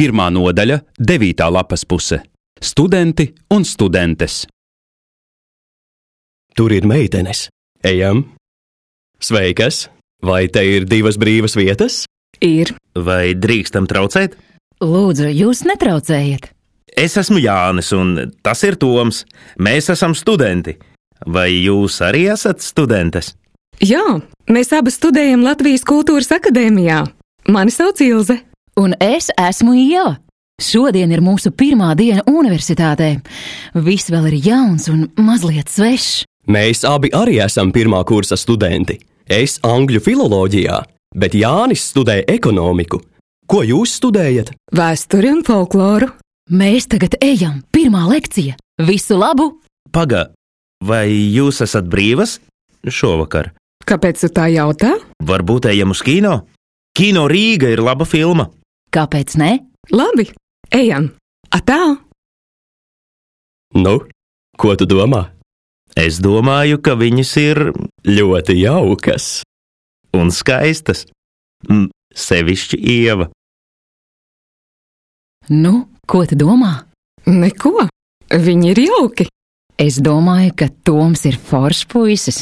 Pirmā nodaļa, 9. lapas puse. Studenti un studentes. Tur ir meitenes. Ejam. Sveikas! Vai te ir 2 brīvas vietas? Ir. Vai drīkstam traucēt? Lūdzu, jūs netraucējiet. Es esmu Jānis, un tas ir Toms. Mēs esam studenti. Vai jūs arī esat studentes? Jā, mēs abi studējam Latvijas Kultūras akadēmijā. Mani sauc Ilze. Un es esmu Ieva. Šodien ir mūsu pirmā diena universitātē. Viss vēl ir jauns un mazliet svešs. Mēs abi arī esam pirmā kursa studenti. Es angļu filoloģijā, bet Jānis studē ekonomiku. Ko jūs studējat? Vēsturi un folkloru. Mēs tagad ejam. Pirmā lekcija. Visu labu! Paga, vai jūs esat brīvas šovakar? Kāpēc tu tā jautā? Varbūt ejam uz kino? Kino Rīga ir laba filma. Kāpēc ne? Labi, ejam. Atā! Nu, ko tu domā? Es domāju, ka viņas ir Ļoti jaukas. un skaistas. Sevišķi Ieva. Nu, ko tu domā? Neko, viņi ir jauki. Es domāju, ka Toms ir foršs puisis.